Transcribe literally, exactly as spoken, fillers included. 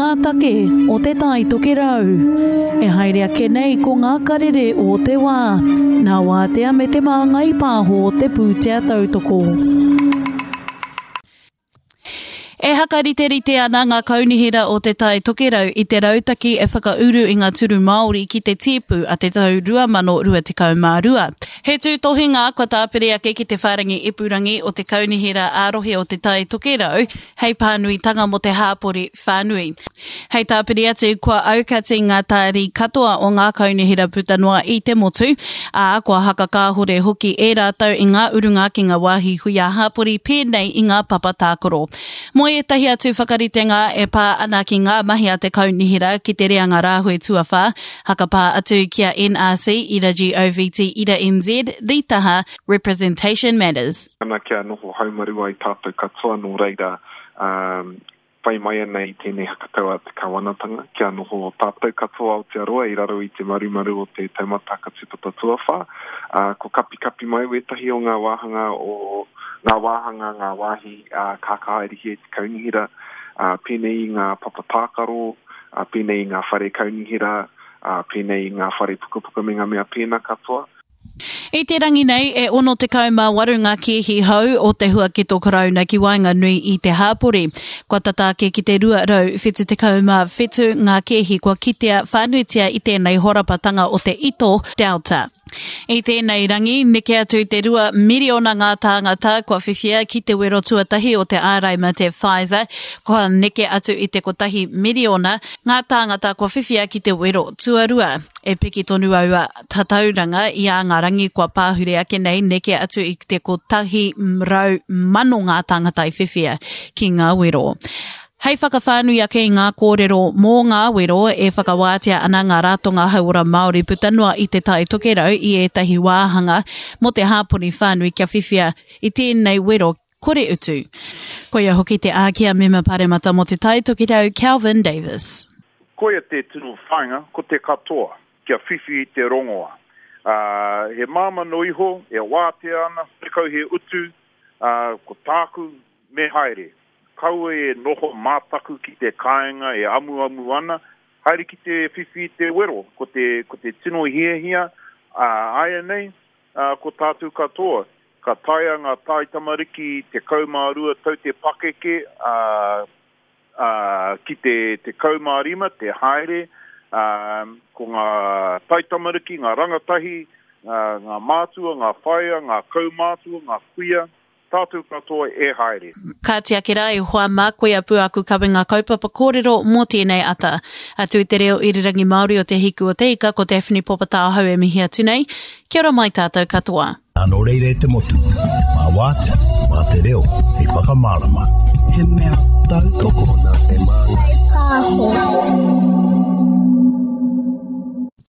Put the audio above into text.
ngā take o Te Tai Tokerau. E haere ake nei ko ngā karere o te wā, nā Wātea me Te Māngai Pāho te pūtea tautoko. E hakariterite ana ngā kaunihera o Te Tai Tokerau i te rautaki e whakauru i ngā turu Māori ki te tīpu a te tau rua mano rua tekau mā rua. He tūtohinga kua tāpiri ake ki te whārangi ipurangi o te kaunihera ā-rohe o Te Tai Tokerau hei pānuitanga mō te hāpori whānui. Hei tāpiri atu, kua aukati ngā tāri katoa o ngā kaunihera puta noa i te motu, ā, kua hakakāhore hoki e rātou i ngā urunga ki ngā wāhi hui ā-hāpori pēnei i ngā papa tākaro. Mō ētahi atu whakaritenga e pā ana ki ngā mahi a te kaunihera ki te reanga rāhui tuawhā, hakapā atu ki a N R C, ira G O V T, ira N Z, Ritaha, Representation Matters. Ana kia noho haumaru ai tātou katoa nō reira, um, whai mai ana i tēnei hakatau a te kawanatanga, kia noho tātou katoa Aotearoa i raro i te marumaru o te taumata hakatupata tuawhā. Uh, ko kapikapi mai wētahi o ngā wāhanga o ngā wāhanga, ngā wāhi uh, ka kahaerihia i te kaunihera, uh, pēnei i ngā papa tākaro, uh, pēnei i ngā whare kaunihera, uh, pēnei i ngā whare pukapuka me ngā mea pēnā katoa. I te rangi nei, e ono tekau mā waru ngā kēhi hou o te huaketo karauna ki waenganui i te hāpori. Kua tata ake ki te rua rau whitu tekau mā whitu ngā kēhi kua kitea whānuitia i tēnei horapatanga o te ito Delta. I tēnei rangi, neke atu i te rua miriona ngā tāngata kua whiwhia ki te wero tuatahi o te ārai mate Pfizer, kua neke atu i te kotahi miriona ngā tāngata kua whiwhia ki te wero tuarua. E piki tonu aua tatauranga i a ngā rangi kua pāhure ake nei neke atu i te kotahi rau mano ngā tāngata i whiwhia ki ngā wero. Hei whakawhānui ake i ngā kōrero mō ngā wero e whakawātea ana ngā ratonga hauora Māori puta noa i te Tai Tokerau i ētahi wāhanga mō te hāpori whānui kia whiwhia i tēnei wero kore utu. Koia hoki te āki a mema paremata mō te Tai Tokerau, Kelvin Davis. Koia te tino whāinga, ko te katoa, kia whiwhi i te rongoa. Uh, he māma no iho, e wātea ana, tekau he utu, uh, ko tāku me haere. Kaua e noho mātaku ki te kāinga e amuamu ana, haere ki te whiwhi i te wero, ko te, ko te tino hiahia, uh, aia nei, uh, ko tātou katoa. Ka taea ngā tai tamariki te kaumārua tau te pakeke, uh, uh, ki te, te kaumārima, te haere, uh, ko ngā tai tamariki, ngā rangatahi, uh, ngā mātua, ngā whaea, ngā kaumātua, ngā kuia, tātou katoa e haere. Ka tiake rā i hoa mā koe a pūaku kawenga kaupapa kōrero mō tēnei ata. Atu i te reo irirangi Māori o Te Hiku o Te Ika, ko Daphne Popatāhau e mihi atu nei. Kia ora mai tātou katoa. Nō reira e te motu, mā wātea, mā te reo, hei whakamārama. He mea tautoko.